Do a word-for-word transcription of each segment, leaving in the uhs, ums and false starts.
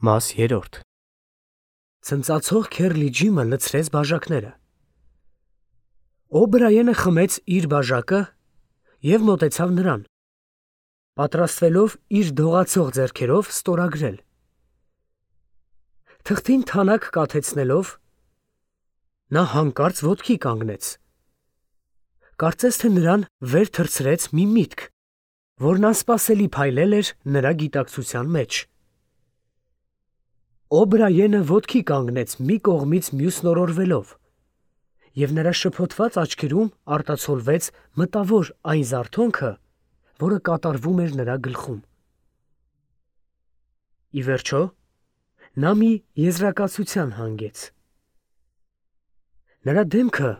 Մաս երրորդ Ցնծացող Քերլի Ջիմը լցրեց բաժակները։ Օբրայենը խմեց իր բաժակը և մոտեցավ նրան, պատրաստվելով իր դողացող ձեռքերով ստորագրել։ Թղթին թանաք կաթեցնելով, նա հանկարծ ոտքի կանգնեց։ Կարծես թե նրան վեր թռցրեց մի միտք, որն անսպասելի փայլել էր նրա գիտակցության մեջ։ Օբրայենը ոտքի կանգնեց մի կողմից մյուսն օրորվելով, և նրա շփոթված աչքերում արտացոլվեց մտավոր այն զարթոնքը, որը կատարվում էր նրա գլխում։ Ի վերջո, նա մի եզրակացության հանգեց։ Նրա դեմքը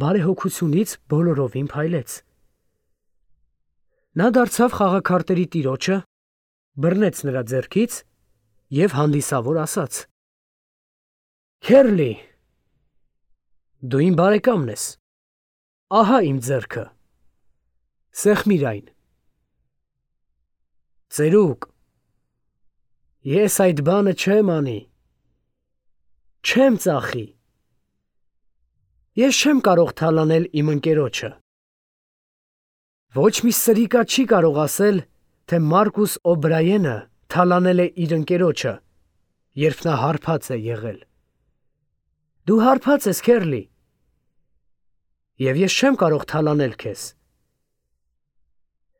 բարեհոգությունից բոլորովին փայլեց։ Նա դարձավ խաղաքարտերի տիրոջը, բռնեց նրա ձեռքից և հանդիսավոր ասաց. «Քերլի, դու իմ բարեկամն ես, ահա իմ ձեռքը, սեղմիր այն»։ Ծերուկ, ես այդ բանը չեմ անի, չեմ ծախի, ես չեմ կարող թալանել իմ ընկերոջը։ Ոչ մի սրիկա չի կարող ասել, թե Մարկուս Օբրայենը թալանել է իր ընկերոջը, երբ նա հարբած է եղել։ Դու հարբած ես, Քերլի, և ես չեմ կարող թալանել քեզ։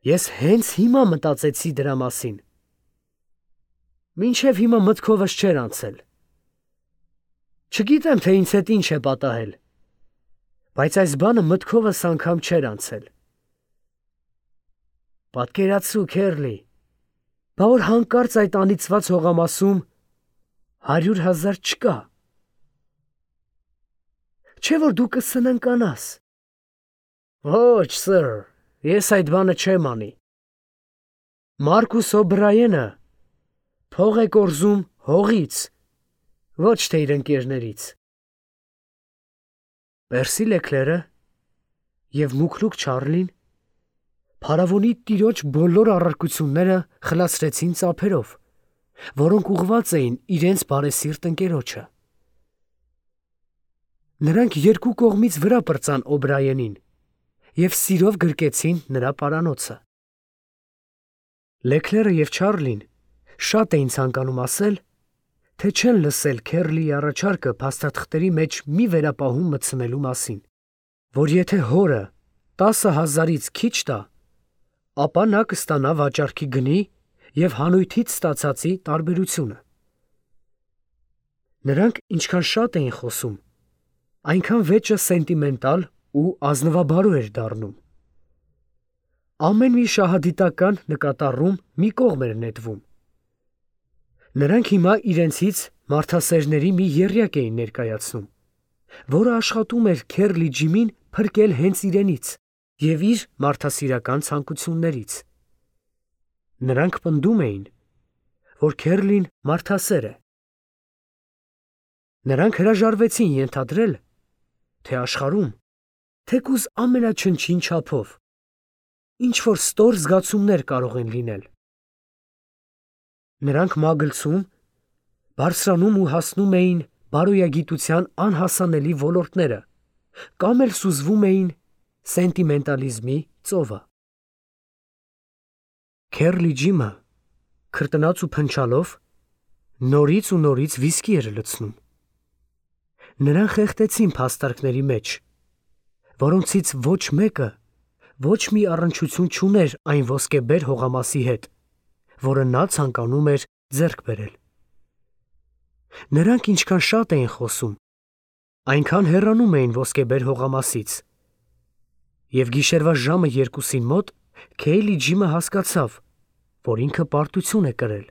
Ես հենց հիմա մտածեցի դրա մասին։ Մինչև հիմա մտքովս չէր անցել։ Չգիտեմ, թե ինձ հետ ինչ է պատահել, բայց այս բանը մտքովս անգամ չէր անցել։ Պատկերացրու, Քերլի, բա որ հանկարծ այդ անիծված հողամասում հարյուր հազար չկա։ Չէ՞ որ դու կսննկանաս։ Ոչ, սըր, ես այդ բանը չեմ անի։ Մարկուս Օբրայենը փող է կորզում հողից, ոչ թե իր ընկերներից։ Պերսի Լեկլերը և Մուքրուք Չարլին փարավոնի տիրոջ բոլոր առարկությունները խլացրեցին ծափերով, որոնք ուղղված էին իրենց բարեսիրտ ընկերոջը։ Նրանք երկու կողմից վրա պրծան Օբրայենին և սիրով գրկեցին նրա պարանոցը։ Լեկլերը և Չարլին շատ էին ցանկանում ասել, թե չեն լսել Քերլիի առաջարկը փաստաթղթերի մեջ մի վերապահում մտցնելու մասին, որ եթե հորը տասը հազարից քիչ տա, ապա նա կստանա վաճառքի գնի և հանույթից ստացածի տարբերությունը։ Նրանք ինչքան շատ էին խոսում, այնքան վեճը սենտիմենտալ ու ազնվաբարո էր դառնում։ Ամեն մի շահադիտական նկատառում մի կողմ էր նետվում։ Նրանք հիմա իրենցից մարդասերների մի եռյակ էին ներկայացնում, որը աշխատում էր Քերլի Ջիմին փրկել հենց իրենից և իր մարդասիրական ցանկություններից։ Նրանք պնդում էին, որ Քերլին մարդասեր է։ Նրանք հրաժարվեցին ենթադրել, թե աշխարհում, թեկուզ ամենաչնչին չափով, ինչ-որ ստոր զգացումներ կարող են լինել։ Նրանք մագլցում, բարձրանում ու հասնում էին բարոյագիտության անհասանելի ոլորտները կամ էլ սուզվում էին սենտիմենտալիզմի ծովը։ Քերլի Ջիմը, քրտնած ու փնչալով, նորից ու նորից վիսկի էր լցնում։ Նրան խեղդեցին փաստարկների մեջ, որոնցից ոչ մեկը ոչ մի առնչություն չուներ այն ոսկեբեր հողամասի հետ, որը նա ցանկանում էր ձեռք բերել։ Նրանք ինչքան շատ էին խոսում, այնքան հեռանում էին ոսկեբեր հողամասից, և գիշերվա ժամը երկուսին մոտ Քերլի Ջիմը հասկացավ, որ ինքը պարտություն է կրել։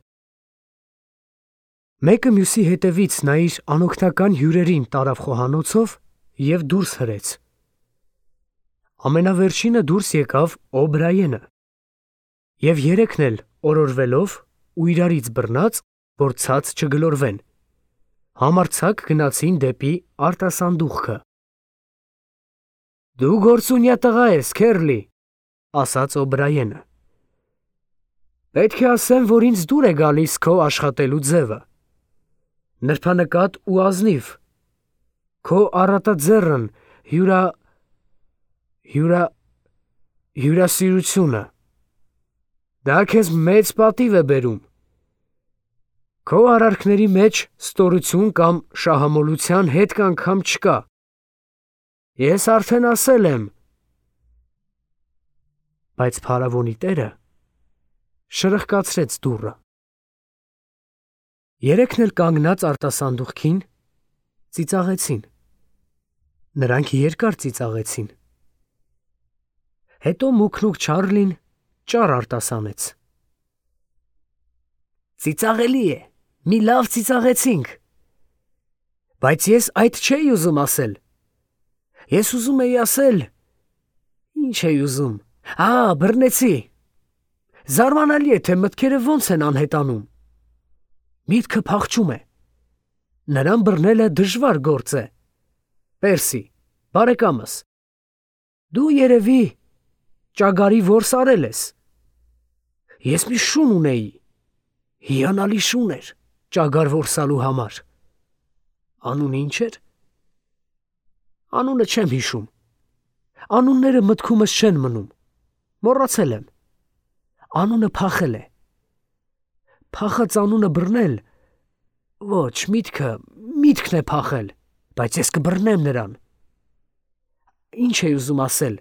Մեկը մյուսի հետևից նա իր անօգնական հյուրերին տարավ խոհանոցով և դուրս հրեց։ Ամենավերջինը դուրս եկավ Օբրայենը, և երեքն էլ օրորվելով ու իրարից բռնած, որ ցած չգլորվեն, համարձակ գնացին դեպի արտասանդուղքը։ Դու գործունյա տղա ես, Քերլի, ասաց Օբրայենը։ Պետք է ասեմ, որ ինձ դուր է գալիս քո աշխատելու ձևը։ նրբանկատ ու ազնիվ, քո առատաձեռն հյուրա հյուրա հյուրասիրությունը, դա քեզ մեծ պատիվ է բերում։ Քո արարքների մեջ ստորություն կամ շահամոլության հետ կանգամ չկա։ Ես արդեն ասել եմ։ Բայց փարավոնի տերը շրխկացրեց դուռը։ Երեքն էլ կանգնած արտասանդուղքին ծիծաղեցին։ Նրանք երկար ծիծաղեցին։ Հետո մուքնուք Չարլին ճառ արտասանեց։ Ծիծաղելի է, մի լավ ծիծաղեցինք։ Բայց ես այդ չէի ուզում ասել։ Ես ուզում էի ասել… Ինչ էի ուզում… Ա, բռնեցի։ Զարմանալի է, թե մտքերը ոնց են անհետանում։ Միտքը փախչում է։ Նրան բռնելը դժվար գործ է։ Պերսի, բարեկամս, դու երևի ճագարի որս արել ես։ Ես մի շուն ունեի, հիանալի շուն էր ճագար որսալու համար։ Անունը ինչ էր։ Անունը չեմ հիշում։ Անունները մտքումս չեն մնում։ Մոռացել եմ։ Անունը փախել է։ Փախած անունը բռնել… Ոչ, միտքը, միտքն է փախել, բայց ես կբռնեմ նրան։ Ինչ էի ուզում ասել։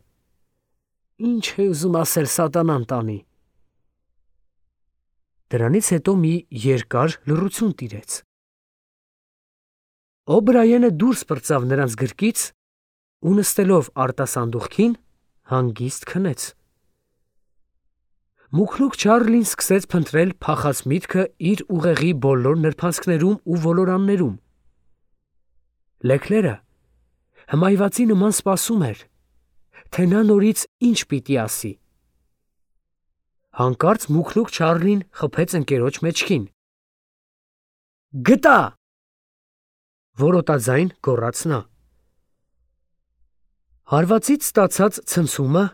Ինչ է ուզում ասել սատանան տանի։ Դրանից հետո մի երկար լռություն տիրեց։ Օբրայենը դուրս պրծավ նրանց գրկից ու նստելով արտասանդուղքին հանգիստ քնեց։ Մուքնուք Չարլին սկսեց փնտրել փախած միտքը իր ուղեղի բոլոր նրբանցքներում ու ոլորաններում։ Լեքլերը հմայվածի նման սպասում էր, թե նա նորից ինչ պիտի ասի։ Հանկարծ մուքնուք Չարլին խփեց ընկերոջ մեջքին։ Գտա! Որոտաձայն գոռաց նա։ Հարվածից ստացած ցնցումը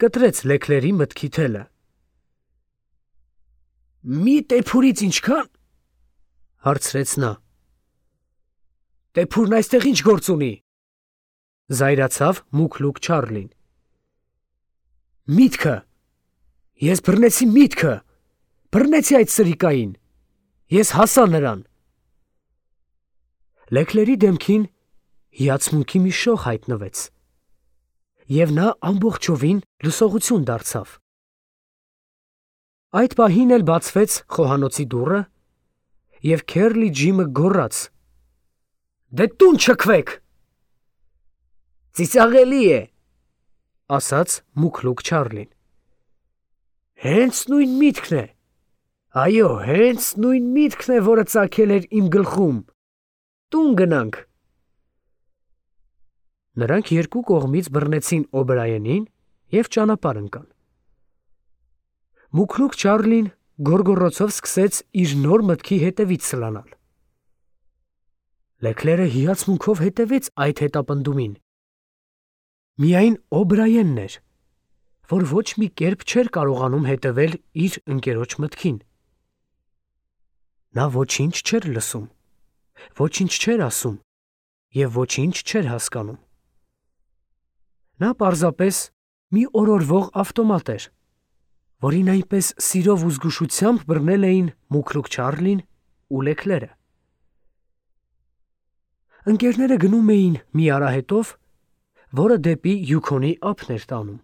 կտրեց Լեքլերի մտքի թելը։ Մի տեփուրից ինչքան… հարցրեց նա։ Տեփուրն այստեղ ինչ գործ ունի։ Զայրացավ մուքլուք Չարլին։ Միտքը… Ես բռնեցի միտքը… Բռնեցի այդ սրիկային… Ես հասա նրան… Լեքլերի դեմքին հիացմունքի մի շող հայտնվեց, և նա ամբողջովին լսողություն դարձավ։ Այդ պահին էլ բացվեց խոհանոցի դուռը, և Քերլի Ջիմը գոռաց. Դե տուն չքվեք։ Ծիծաղելի է, ասաց մուքլուք Չարլին։ Հենց նույն միտքն է, այո, հենց նույն միտքն է, որը ծագել էր իմ գլխում։ Տուն գնանք։ Նրանք երկու կողմից բռնեցին Օբրայենին և ճանապարհ ընկան։ Մուքնուք Չարլին գոռգոռոցով սկսեց իր նոր մտքի հետևից սլանալ։ Լեքլերը հիացմունքով հետևեց այդ հետապնդումին։ Միայն Օբրայենն էր, որ ոչ մի կերպ չէր կարողանում հետևել իր ընկերոջ մտքին։ Նա ոչինչ չէր լսում, ոչինչ չէր ասում և ոչինչ չէր հասկանում։ Նա պարզապես մի օրորվող ավտոմատ էր, որին այնպես սիրով ու զգուշությամբ բռնել էին մուքլուք Չարլին ու Լեքլերը։ Ընկերները գնում էին մի արահետով, որը դեպի Յուքոնի ափն էր տանում։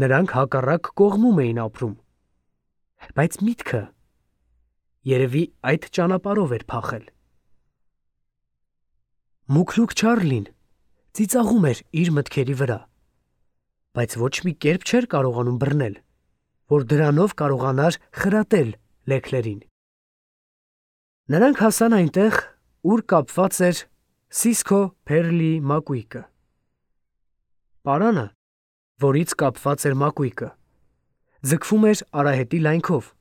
Նրանք հակառակ կողմում էին ապրում, բայց միտքը երևի այդ ճանապարհով էր փախել։ Մուքլուք Չարլին ծիծաղում էր իր մտքերի վրա, բայց ոչ մի կերպ չէր կարողանում բռնել, որ դրանով կարողանար խրատել Լեքլերին։ Նրանք հասան այնտեղ, ուր կապված էր Սիսքո Փերլի մակույկը։ Պարանը, որից կապված էր մակույկը, ձգվում էր արահետի լայնքով,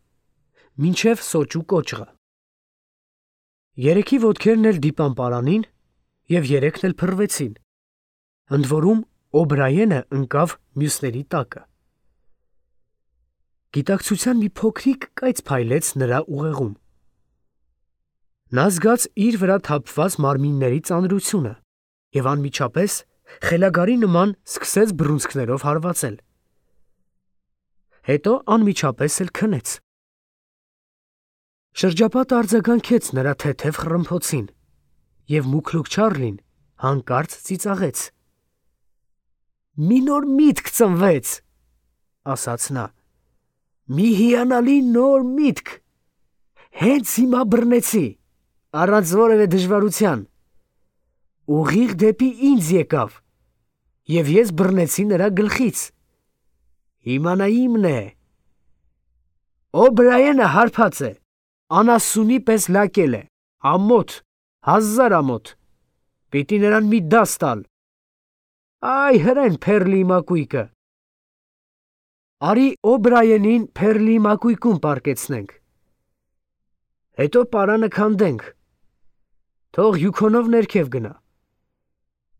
մինչև Սոճու կոճղը։ Երեքի ոտքերն էլ դիպան պարանին, և երեքն էլ փռվեցին, ընդ որում Օբրայենը ընկավ մյուսների տակը։ Գիտակցության մի փոքրիկ կայծ փայլեց նրա ուղեղում։ Նա զգաց իր վրա թափված մարմինների ծանրությունը և անմիջապես խելագարի նման սկսեց բռունցքներով հարվածել։ Հետո անմիջապես էլ քնեց։ Շրջապատը արձագանքեց նրա թեթև խռմփոցին, և Մուքլուք Չարլին հանկարծ ծիծաղեց։ «Մի նոր միտք ծնվեց», ասաց նա, «մի հիանալի նոր միտք։ Հենց հիմա բռնեցի, առանց որևէ դժվարության։ Ուղիղ դեպի ինձ եկավ, և ես բռնեցի նրա գլխից։ Հիմա նա իմն է։ Օ'Բրայենը հարբած է, անասունի պես լակել է, ամոթ, հազար ամոթ։ Պիտի նրան մի դաս տալ։ Այ հրեն Փերլիի մակույկը։ Արի Օ'Բրայենին Փերլիի մակույկում պառկեցնենք։ Հետո պարանը քանդենք։ Թող Յուքոնով ներքև գնա։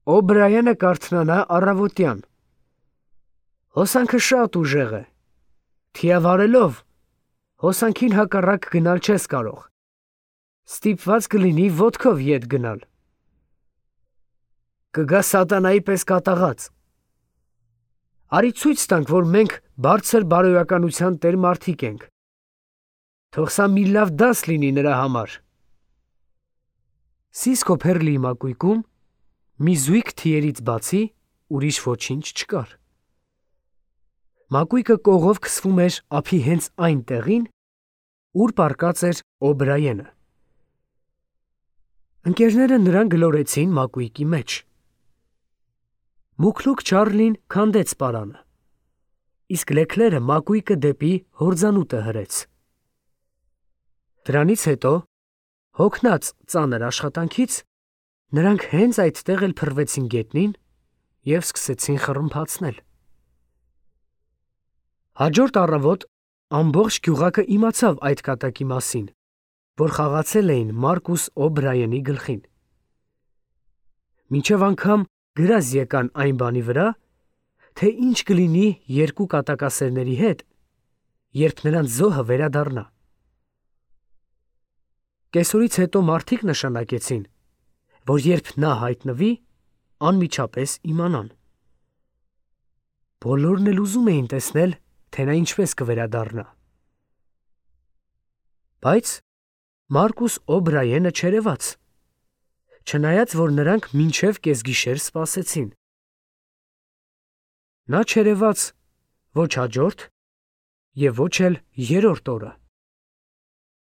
Օ'Բրայենը կարթնանա առավոտյան։ Հոսանքը շատ ուժեղ է։ Թիավարելով հոսանքին հակառակ գնալ չես կարող։ Ստիպված կլինի ոտքով ետ գնալ։ Կգա սատանայի պես կատաղած։ Արի ցույց տանք, որ մենք բարձր բարոյականության տեր մարդիկ ենք։ Թող սա մի լավ դաս լինի նրա համար։ Սիսկո Փերլիի մակույկում մի զույգ թիերից բացի ուրիշ ոչինչ չկար։ Մակույկը կողով քսվում էր ափի հենց այն տեղին, ուր պառկած էր Օ'Բրայենը։ Ընկերները նրան գլորեցին մակույկի մեջ։ Մուքլուք Չարլին քանդեց պարանը, իսկ Լեքլերը մակույկը դեպի հորձանուտը հրեց։ Դրանից հետո, հոգնած ծանր աշխատանքից, նրանք հենց այդտեղ էլ փռվեցին գետնին և սկսեցին խռմփացնել։ Հաջորդ առավոտ ամբողջ գյուղակը իմացավ այդ կատակի մասին, որ խաղացել էին Մարկուս Օ'Բրայենի գլխին։ Մինչև անգամ գրազ եկան այն բանի վրա, թե ինչ կլինի երկու կատակասերների հետ, երբ նրանց զոհը վերադառնա։ Կեսօրից հետո մարդիկ նշանակեցին, որ երբ նա հայտնվի, անմիջապես իմանան։ Բոլորն էլ ուզում էին տեսնել, թե նա ինչպես կվերադառնա։ Բայց Մարկուս Օ'Բրայենը չերևաց, չնայած որ նրանք մինչև կեսգիշեր սպասեցին։ Նա չերևաց ոչ հաջորդ և ոչ էլ երրորդ օրը։